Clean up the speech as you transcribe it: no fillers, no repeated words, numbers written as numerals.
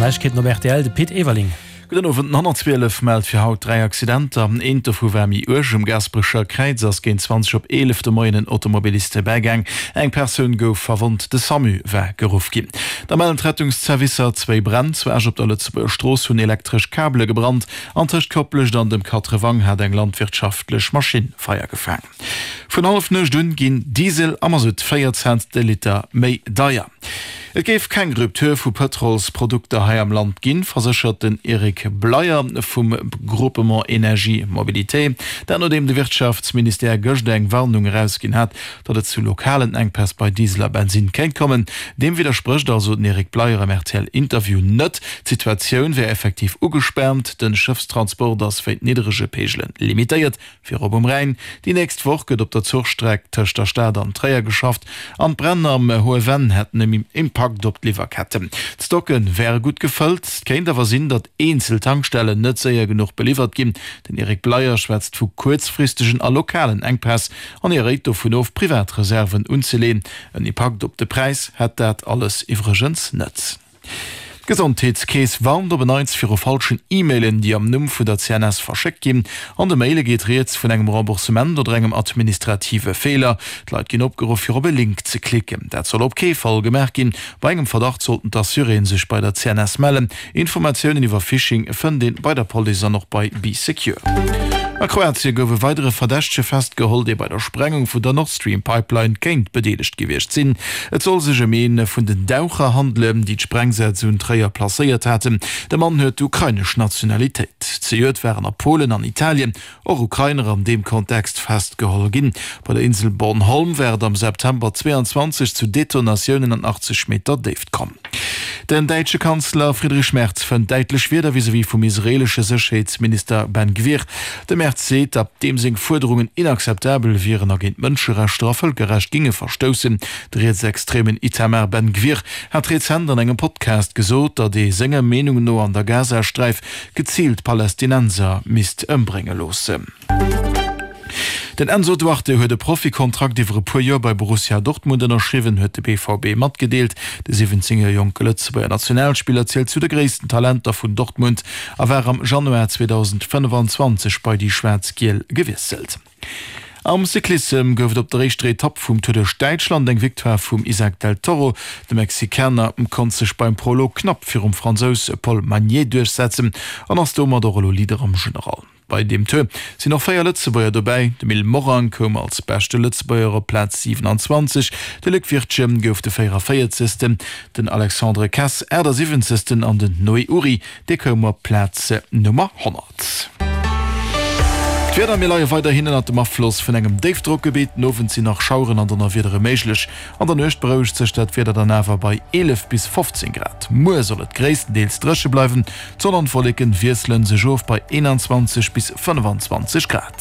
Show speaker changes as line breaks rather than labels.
D'Neiegkeeten op rtl, de Pit Everling.
Gudden Owend. Den 112 mellt fir haut 3 Accidenter. Eent dovu war méi uerg. Um Gaasperecher Kräiz ass géint 20 op 11 de Moien en Automobilist bäigaang. Eng Persoun gouf verwonnt, de Samu war geruff ginn. Da mellen d'Rettungszervicer zwéi Bränn. Zu Esch op der Lëtzebuerger Strooss hunn elektresch Kabele gebrannt an tëscht Koplescht an dem Katrewang hat eng landwirtschaftlech Maschinn Feier gefaang. Vun Hallefnuecht un ginn Diesel a Masutt 4 Cent de Liter méi deier. Et géif keng Rupture vu Pëtrolsprodukter hei am Land ginn, verséchert den Eric Bleyer vum Groupement Energie Mobilité. Dat nodeem de Wirtschaftsministère gëscht eng Warnung erausginn hat, datt et zu lokalen Enkpäss bei Diesel a Bensinn kéint kommen. Deem widdersprécht also den Eric Bleyer am RTL-Interview net. D'Situatioun wär effektiv ugespaant, de Schëffstransport ass wéint niddrege Peegele limitéiert. Virop um Rhäin. Déi nächst Woch gëtt op der Zuchstreck tëscht der Stad an Tréier geschafft an d'Bränn am Hohe Venn hätten en Impakt op d'Liwwerketten. D'Stocke wäre gutt gefëllt. Et kéint awer sinn, datt eenzel Tankstellen net séier genuch beliwwert ginn. Den Eric Bleyer schwätzt vu kuerzfristegen a lokalen Enkpäss an hie réit dovun of, privat Reserven unzeleeën. En Impakt op de Präis hätt dat alles iwwregens net. D'Gesondheetskeess warnt op en Neits viru falschen E-Mailen, déi am Numm vun der CNS verschéckt ginn. An de Maile geet rieds vun engem Remboursement oder engem administrative Feeler. D'Leit ginn opgeruff, fir op e Link ze klicken. Dat soll op kee Fall gemaach ginn. Bei engem Verdacht sollten d'Assuréen sech bei der CNS mellen. Informatiounen iwwer Phishing fënnt een bei der Police an och bei Bee Secure. A Kroatie gouf e weidere Verdächtege festgeholl, dee bei der Sprengung vun der Nord Stream Pipeline kéint bedeelegt gewiescht sinn. Et soll sech ëm ee vun den Daucher handelen, déi d'Sprengsätz un Tréier placéiert haten. De Mann huet d'ukrainesch Nationalitéit. Zejoert waren a Polen an Italien och Ukrainer an deem Kontext festgeholl ginn. Bei der Insel Bornholm war et am September 22 zu Detonatiounen an 80 Meter Déift komm. Den däitsche Kanzler Friedrich Merz fënnt däitlech Wierder vis-à-vis vum israeelesche Sécherheetsminister Ben Gvir. De Merz seet, datt deem seng Fuerderungen inakzeptabel wieren a géint Mënscherechter a Vëlkerrecht ginge verstoussen. De rietsextremen Itamar Ben Gvir hat rezent an engem Podcast gesot, datt ee senger Meenung no an der Gazasträif geziilt Palästinenser misst ëmbrénge loossen. Den Enzo Duarte huet e Profikontrakt iwwer e puer Joer bei Borussia Dortmund ënnerschriwwen, huet de BVB matgedeelt. De 17 Joer jonke Lëtzebuerger Nationalspiller zielt zu de gréissten Talenter vun Dortmund a war am Januar 2025 bei déi Schwaarz-Giel gewiesselt. Am Cyclissem gouf et op der éischter Etapp vum Tour duerch Däitschland eng Victoire vum Isaac del Toro. De Mexikaner konnt sech beim Prolog knapp virum Fransous Paul Magnier duerchsetzen an ass domat och elo Leader am General. Bei deem Tour sinn och 4 Lëtzebuerger dobäi. De Mil Morang koum als beschte Lëtzebuerger op Plaz 27, de Luc Wirtgen gouf de 44. Den Alexandre Kess 78. An den Noé Ury, dee koum op Plaz Nummer 100. D'Wieder, Mir leie weiderhin ënnert dem Afloss vun engem Déifdrockgebitt. Den Owend sinn nach Schaueren an Donnerwiedere méiglech. An der Nuecht berouegt sech dat Wieder dann awer bei 11 bis 15 Grad. Muer soll et gréisstendeels dréche bleiwen, D'Sonn an d'Wolleken wiesselen sech of bei 21 bis 25 Grad.